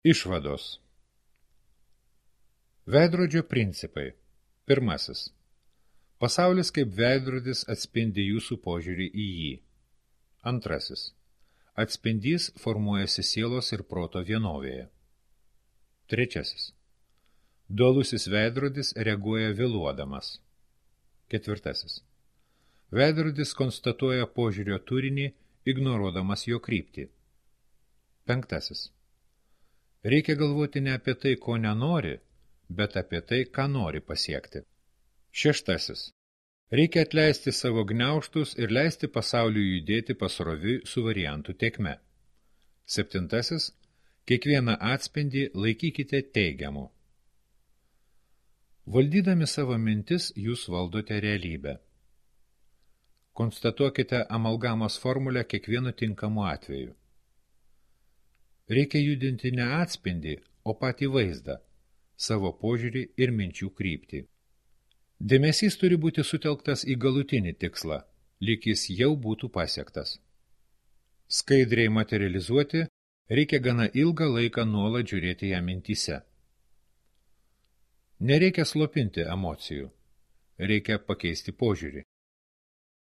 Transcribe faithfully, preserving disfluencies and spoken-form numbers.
Išvados. Veidrodžio principai. Pirmasis. Pasaulis kaip veidrodis atspindi jūsų požiūrį į jį. Antrasis. Atspindys formuojasi sielos ir proto vienovėje. Trečiasis. Dualusis veidrodis reaguoja vėluodamas. Ketvirtasis. Veidrodis konstatuoja požiūrio turinį, ignoruodamas jo kryptį. Penktasis. Reikia galvoti ne apie tai, ko nenori, bet apie tai, ką nori pasiekti. Šeštasis. Reikia atleisti savo gniaužtus ir leisti pasauliui judėti pasroviui su variantų tėkme. Septintasis. Kiekvieną atspindį laikykite teigiamu. Valdydami savo mintis, jūs valdote realybę. Konstatuokite amalgamos formulę kiekvienu tinkamu atveju. Reikia judinti ne atspindį, o patį vaizdą, savo požiūrį ir minčių kryptį. Dėmesys turi būti sutelktas į galutinį tikslą, lyg jis jau būtų pasiektas. Skaidriai materializuoti reikia gana ilgą laiką nuolat žiūrėti ją mintyse. Nereikia slopinti emocijų, reikia pakeisti požiūrį.